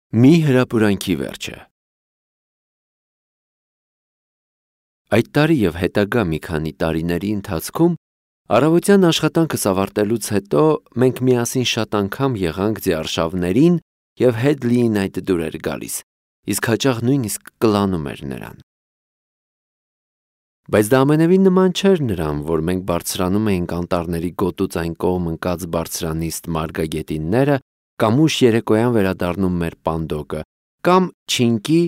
Մի հրապուրանքի վերջը։ Այդ տարի և հետագա մի քանի տարիների ընթացքում առավոտյան աշխատանքս ավարտելուց հետո մենք միասին շատ անգամ եղանք ձիարշավներին և հետ լիին այդ դուր էր գալիս, իսկ հաճախ նույնիսկ կլանում էր նրան։ Բայց դա ամենևին նման չէր նրան, որ մենք բարձրանում էինք անտառների գոտուց այն կողմ ընկած բարձրանիստ մարգագետինները, կամ ուշ երեկոյան վերադառնում մեր պանդոկը, կամ Չինկի,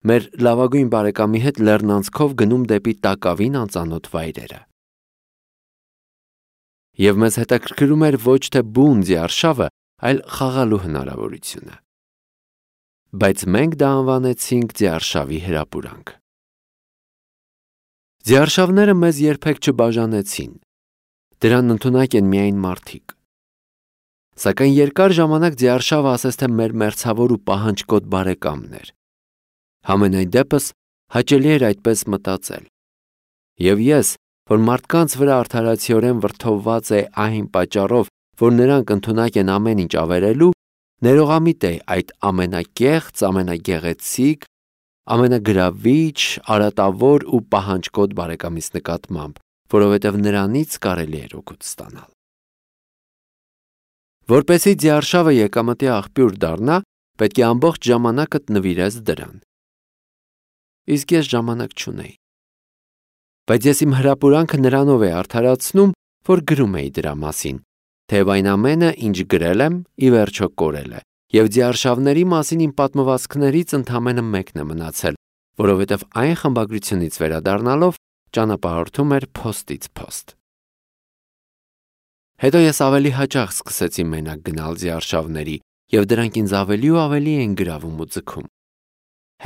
մեր լավագույն բարեկամի հետ լեռնանցքով գնում դեպի տակավին անծանոթ վայրերը։ Եվ մեզ հետաքրքրում էր ոչ թե բուն ձիարշավը, այլ խաղալու հնարավորությունը։ Բայց մենք դա անվանեցինք ձիարշավի հրապուրանք։ Ձիարշավները մեզ երբեք չբաժանեցին։ Դրան ընդունակ են միայն մարդիկ։ Սակայն երկար ժամանակ ձիարշավը ասես թե մեր մերձավոր ու պահանջկոտ բարեկամն էր։ Համենայն դեպս հաճելի էր այդպես մտածել։ Եվ ես, որ մարդկանց վրա արդարացիորեն վրդովված է այն պատճառով, որ նրանք ընդունակ են ամեն ինչ ավերելու, ներողամիտ էի այդ ամենակեղծ, ամենագեղեցիկ, ամենագրավիչ, արատավոր ու պահանջկոտ բարեկամիս նկատմամբ, որովհետև նրանից կարելի էր օգուտ ստանալ։ Որպեսզի ձիարշավը եկամտի աղբյուր դառնա, պետք է ամբողջ ժամանակդ նվիրես դրան։ Իսկ ես ժամանակ չունեի։ Բայց ես իմ հրապուրանքը նրանով էի արդարացնում, որ գրում էի դրա մասին, թեև այն ամենը, ինչ գրել եմ, ի վերջո կորել է, և ձիարշավների մասին իմ պատմվածքներից ընդամենը մեկն է մնացել, որովհետև այն խմբագրությունից վերադառնալով ճանապարհորդում էր փոստից փոստ։ Հետո ես ավելի հաճախ սկսեցի մենակ գնալ ձիարշավների, և դրանք ինձ ավելի ու ավելի էին գրավում ու ձգում։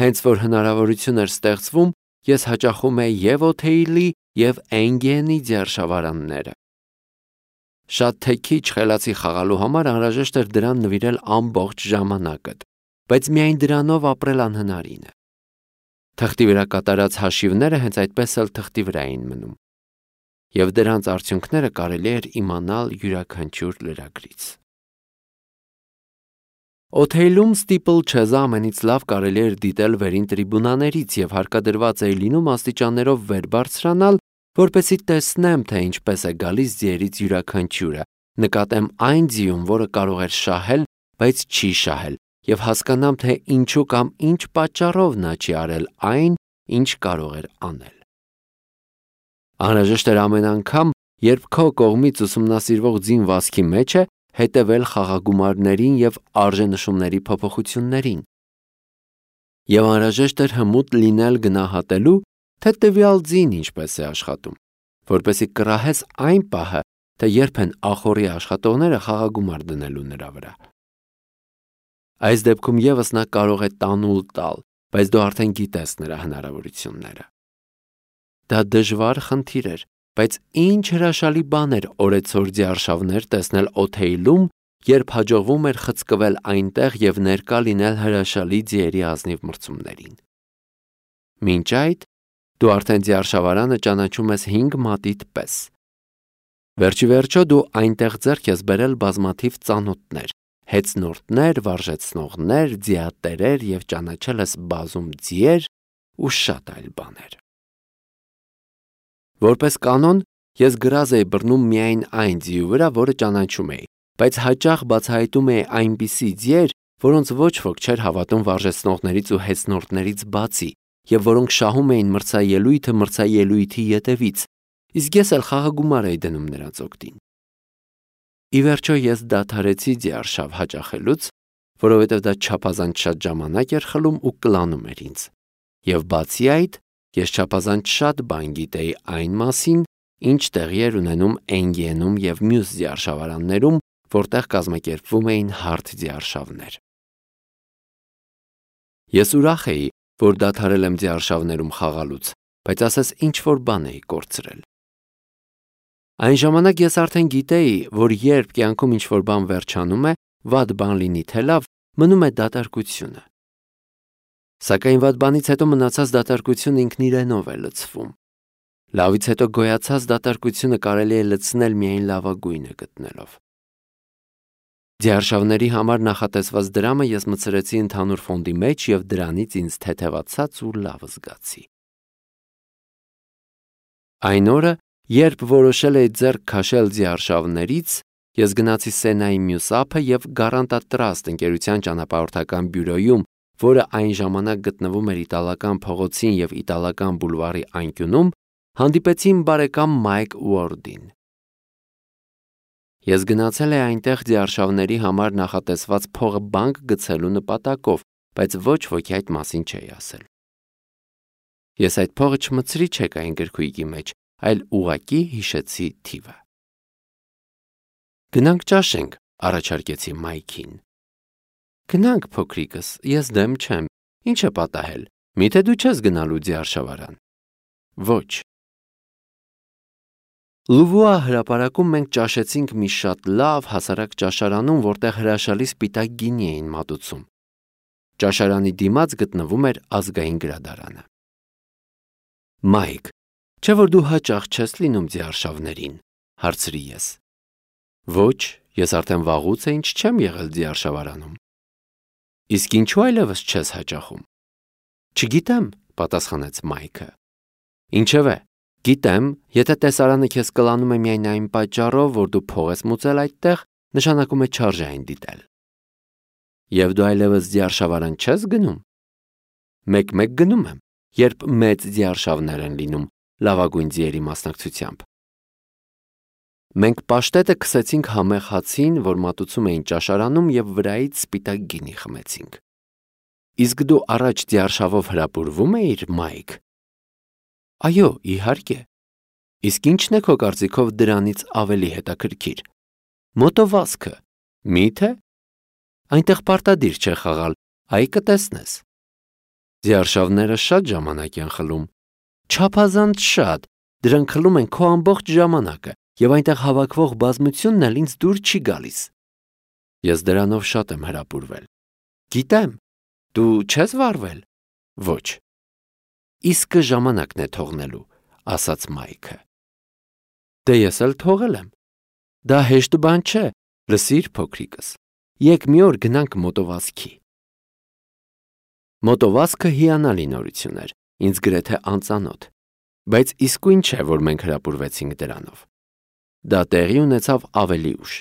Հենց որ հնարավորություն էր ստեղծվում, ես հաճախում էի և Օթեիլի, և Էնգիենի ձիարշավարանները։ Շատ թե քիչ խելացի խաղալու համար անհրաժեշտ էր դրան նվիրել ամբողջ ժամանակդ, բայց միայն դրանով ապրել անհնարին է։ Թղթի վրա կատարած հաշիվները հենց այդպես էլ թղթի վրա էին մնում, և դրանց արդյունքները կարելի էր իմանալ յուրաքանչյուր լրագրից։ Օթեիլում ստիպլ-չեզը ամենից լավ կարելի էր դիտել վերին տրիբունաներից և հարկադրված էի լինում աստիճաններով վեր բարձրանալ, որպեսզի տեսնեմ, թե ինչպես է գալիս ձիերից յուրաքանչյուրը, նկատեմ այն ձիում, որը կարող էր շահել, բայց չի շահել, և հասկանամ, թե ինչու կամ ինչ պատճառով նա չի արել այն, ինչ կարող էր անել։ Անհրաժեշտ էր ամեն անգամ, երբ քո կողմից ուսումնասիրվող ձին վազքի մեջ է, հետևել խաղագումարներին և արժենշումների փոփոխություններին։ Եվ անհրաժեշտ էր հմուտ լինել գնահատելու, թե տվյալ ձին ինչպես է աշխատում, որպեսզի կռահես այն պահը, թե երբ են ախոռի աշխատողները խաղագումար դնելու նրա վրա։ Այս դեպքում ևս նա կարող է տանուլ տալ, բայց դու արդեն գիտես նրա հնարավորությունները։ Դա դժվար խնդիր էր, բայց ինչ հրաշալի բան էր օրեցօր ձիարշավներ տեսնել Օթեիլում, երբ հաջողվում էր խցկվել այնտեղ և ներկա լինել հրաշալի ձիերի ազնիվ մրցումներին։ Մինչ այդ դու արդեն ձիարշավարանը ճանաչում ես 5 մատիդ պես։ Վերջիվերջո դու այնտեղ ձեռք ես բերել բազմաթիվ ծանոթներ, հետզնորդներ, վարժեցնողներ, ձիատերեր և ճանաչել ես բազում ձիեր ու շատ այլ բաներ։ Որպես կանոն, ես գրազ էի բռնում միայն այն ձիու վրա, որը ճանաչում էի, բայց հաճախ բացահայտում էի այնպիսի ձիեր, որոնց ոչ ոք չէր հավատում վարժեցնողներից ու հետզնորդներից բացի, և որոնք շահում էին մրցաելույթը մրցաելույթի ետևից, իսկ ես էլ խաղագումար էի դնում նրանց օգտին։ Ի վերջո ես դադարեցի ձիարշավ հաճախելուց, որովհետև դա չափազանց շատ ժամանակ էր խլում ու կլանում էր ինձ, և բացի այդ, ես չափազանց շատ բան գիտեի այն մասին, ինչ տեղի էր ունենում Էնգիենում և մյուս ձիարշավարաններում, որտեղ կազմակերպվում էին հարթ ձիարշավներ։ Ես ուրախ էի, որ դադարել եմ ձիարշավներում խաղալուց, բայց ասես ինչ-որ բան էի կորցրել։ Այն ժամանակ ես արդեն գիտեի, որ երբ կյանքում ինչ-որ բան վերջանում է, վատ բան լինի թե լավ, մնում է դատարկությունը։ Սակայն վատ բանից հետո մնացած դատարկությունը ինքն իրենով է լցվում։ Լավից հետո գոյացած դատարկությունը կարելի է լցնել միայն լավագույնը գտնելով։ Ձիարշավների համար նախատեսված դրամը ես մտցրեցի ընդհանուր ֆոնդի մեջ և դրանից ինձ թեթևացած ու լավ զգացի։ Այն օրը, երբ որոշել էի ձեռք քաշել ձիարշավներից, ես գնացի Սենայի մյուս ափը և Guaranty Trust ընկերության ճանապարհորդական բյուրոյում, որը այն ժամանակ գտնվում էր Իտալական փողոցին և Իտալական բուլվարի անկյունում, հանդիպեցի իմ բարեկամ Մայք Ուորդին։ Ես գնացել էի այնտեղ ձիարշավների համար նախատեսված փողը բանկ գցելու նպատակով, բայց ոչ ոքի այդ մասին չէի ասել։ Ես այդ փողը չմտցրի չեկային գրքույկի մեջ, այլ ուղղակի հիշեցի թիվը։ Գնանք ճաշենք, առաջարկեցի Մայքին։ Գնանք, փոքրիկս, ես դեմ չեմ, ինչ է պատահել, միթե դու չես գնալու ձիարշավարան։ Ոչ։ Լուվուա հրապարակում մենք ճաշեցինք մի շատ լավ հասարակ ճաշարանում, որտեղ հրաշալի սպիտակ գինի էին մատուցում։ Ճաշարանի դիմաց գտնվում էր ազգային գրադարանը։ Մայք, չէ՞ որ դու հաճախ չես լինում ձիարշավներին, հարցրի ես։ Ոչ, ես արդեն վաղուց է ինչ չեմ եղել ձիարշավարանում։ Իսկ ինչու այլևս չես հաճախում։ Չգիտեմ, պատասխանեց Մայքը։ Ինչևէ, գիտեմ, եթե տեսարանը քեզ կլանում է միայն այն պատճառով, որ դու փող ես մուծել այդտեղ, նշանակում է չարժե այն դիտել։ Եվ դու այլևս ձիարշավարան չես գնում։ Մեկ-մեկ գնում եմ, երբ մեծ ձիարշավներ են լինում, լավագույն ձիերի մասնակցությամբ։ Մենք պաշտետը քսեցինք համեղ հացին, որ մատուցում էին ճաշարանում, և վրայից սպիտակ գինի խմեցինք։ Իսկ դու առաջ ձիարշավով հրապուրվում էիր, Մայք։ Այո, իհարկե։ Իսկ ի՞նչն է քո կարծիքով դրանից ավելի հետաքրքիր։ Մոտովազքը։ Մի՞թե։ Այնտեղ պարտադիր չէ խաղալ, այ կտեսնես։ Ձիարշավները շատ ժամանակ են խլում։ Չափազանց շատ, դրանք խլում են քո ամբողջ ժամանակը, և այնտեղ հավաքվող բազմությունն էլ ինձ դուր չի գալիս։ Ես դրանով շատ եմ հրապուրվել։ Գիտեմ, դու չես վարվել։ Ոչ։ Իսկը ժամանակն է թողնելու, ասաց Մայքը։ Դե ես էլ թողել եմ։ Դա հեշտ բան չէ, լսիր, փոքրիկս։ Եկ մի օր գնանք մոտովազքի։ Մոտովազքը հիանալի նորություն էր, ինձ գրեթե անծանոթ, բայց իսկույն չէ, որ մենք հրապուրվեցինք դրանով։ Դա տեղի ունեցավ ավելի ուշ։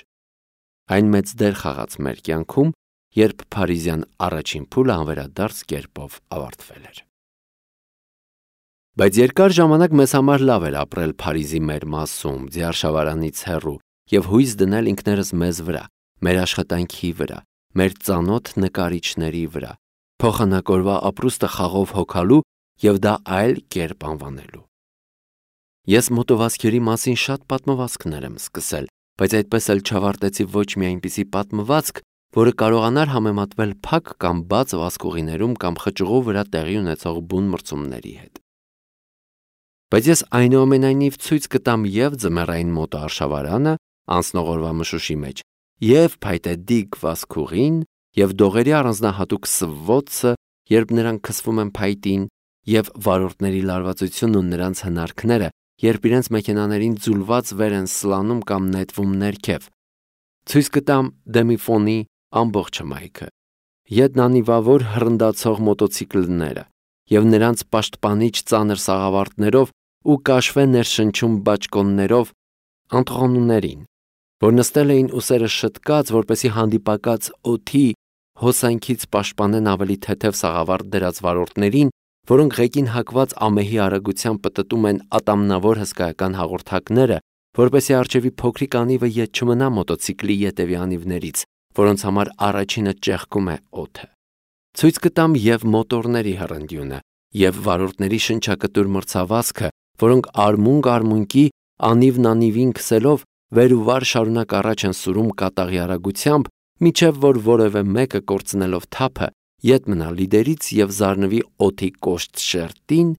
Այն մեծ դեր խաղաց մեր կյանքում, երբ փարիզյան առաջին փուլը անվերադարձ կերպով ավարտվել էր։ Բայց երկար ժամանակ մեզ համար լավ էր ապրել Փարիզի մեր մասում, ձիարշավարանից հեռու, և հույս դնել ինքներս մեզ վրա, մեր աշխատանքի վրա, մեր ծանոթ նկարիչների վրա, փոխանակորվա ապրուստը խաղով հոգալու և դա այլ կերպ անվանելու։ Ես մոտովազքերի մասին շատ պատմվածքներ եմ սկսել, բայց այդպես էլ չավարտեցի ոչ մի այնպիսի պատմվածք, որը կարողանար համեմատվել փակ կամ բաց վազքուղիներում կամ խճուղու վրա տեղի ունեցող բուն մրցումների հետ։ Բայց ես այնուամենայնիվ ցույց կտամ և ձմեռային մոտոարշավարանը անցնող օրվա մշուշի մեջ, և փայտե դիգ վազքուղին, և դողերի առանձնահատուկ սվոցը, երբ նրանք քսվում են փայտին, և վարորդների լարվածությունն ու նրանց հնարքները, երբ իրենց մեքենաներին ձուլված վեր են սլանում կամ նետվում ներքև։ Ցույց կտամ Դեմիֆոնի ամբողջ հմայքը, ետնանիվավոր հռնդացող մոտոցիկլները և նրանց պաշտպանիչ ծանր սաղավարտներով ու կաշվե ներշնչում բաճկոններով Անտղոնուներին, որ նստել էին ուսերը շտկած, որպեսզի հանդիպակաց օդի հոսանքից պաշտպանեն ավելի թեթև սաղավարտ դրած վարորդներին, որոնք ղեկին հակված ամեհի արագությամբ պտտում են ատամնավոր հսկայական հաղորդակները, որպեսզի առջևի փոքրիկ անիվը ետ չմնա մոտոցիկլի ետևի անիվներից, որոնց համար առաջինը ճեղքում է օդը։ Ցույց կտամ և մոտորների հռնդյունը, և վարորդների շնչակտուր մրցավազքը, որոնք արմունկ-արմունկի, անիվն անիվին քսելով վեր ու վար շարունակ առաջ են սուրում կատաղի արագությամբ, մինչև որ որևէ մեկը կորցնելով թափը ետ մնա լիդերից և զարնվի օդի կոշտ շերտին,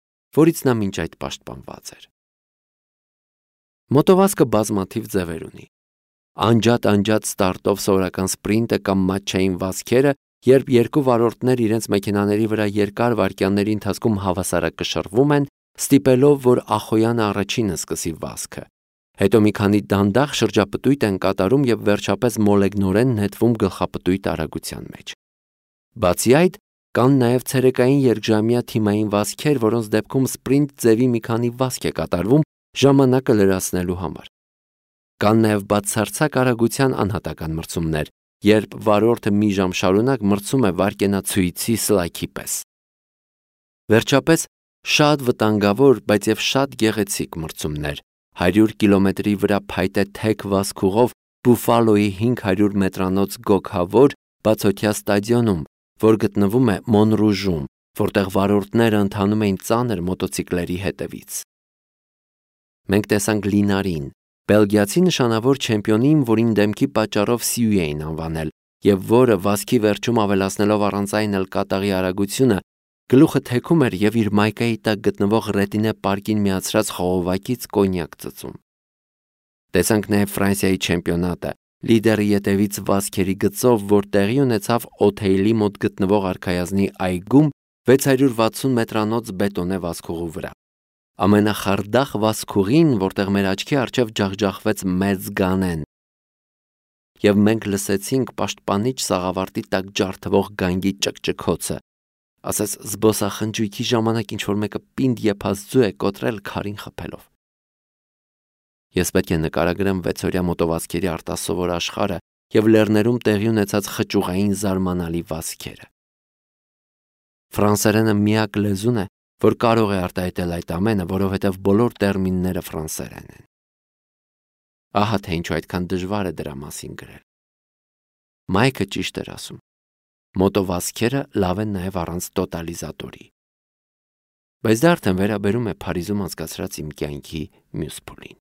որից նա մինչ այդ պաշտպանված էր։ Մոտովազքը բազմաթիվ ձևեր ունի։ Անջատ ստարտով սովորական սպրինտը կամ մատչային վազքերը, երբ երկու վարորդներ իրենց մեքենաների վրա երկար վայրկյանների ընթացքում հավասարակշռվում են, ստիպելով, որ Ախոյանը առաջինը սկսի վազքը, Հետո մի քանի դանդաղ շրջապտույտ են կատարում եւ վերջապես մոլեգնորեն նետվում գլխապտույտ արագության մեջ։ Բացի այդ, կան նաև ցերեկային երկժամյա թիմային վազքեր, որոնց դեպքում սպրինտ ձևի մի քանի վազք է կատարվում ժամանակը լրացնելու համար։ Կան նաև բացարձակ արագության անհատական մրցումներ, երբ վարորդը մի ժամ շարունակ մրցում է վայրկենացույցի սլայքի պես։ Վերջապես, շատ վտանգավոր, բայց եւ շատ գեղեցիկ մրցումներ։ 100 կիլոմետրի վրա փայտե թեք վազքուղով Բուֆալոյի 500 մետրանոց գոգավոր բացօթյա ստադիոնում, որ գտնվում է Մոնրուժում, որտեղ վարորդները ընթանում էին ծանր մոտոցիկլերի հետևից։ Մենք տեսանք Լինարին, բելգիացի նշանավոր չեմպիոնին, որին դեմքի պատճառով Սիու էին անվանել, եւ որը վազքի վերջում ավելացնելով առանց այն էլ կատաղի արագությունը, գլուխը թեքում էր եւ իր մայկայի տակ գտնվող ռետինե պարկին միացրած խողովակից կոնյակ ծծում։ Տեսանք նաև Ֆրանսիայի չեմպիոնատը, լիդերի ետևից վազքերի գծով, որ տեղի ունեցավ Օթեյլի մոտ գտնվող արքայազնի այգում 660 մետրանոց բետոնե վազքուղու վրա։ Ամենախարդախ վազքուղին, որտեղ մեր աչքի առջև ջախջախվեց մեծ գանեն։ Եվ մենք լսեցինք պաշտպանիչ սաղավարտի տակ ջարդվող գանգի ճկճկոցը, ասես զբոսախնջույքի ժամանակ ինչ-որ մեկը պինդ եփած ձու է կոտրել քարին խփելով։ Ես պետք է նկարագրեմ 6-օրյա մոտովազքերի արտասովոր աշխարհը եւ լեռներում տեղի ունեցած խճուղային զարմանալի վազքերը։ Ֆրանսերենը միակ լեզուն է, որ կարող է արտահայտել այդ ամենը, որովհետեւ բոլոր տերմինները ֆրանսերեն են։ Ահա թե ինչու այդքան դժվար է դրա մասին գրել։ Մայքը ճիշտ էր ասում։ Մոտովազքերը լավ են նաև առանց տոտալիզատորի։ Բայց դա արդեն վերաբերում է Փարիզում անցկացրած իմ կյանքի մյուս փուլին։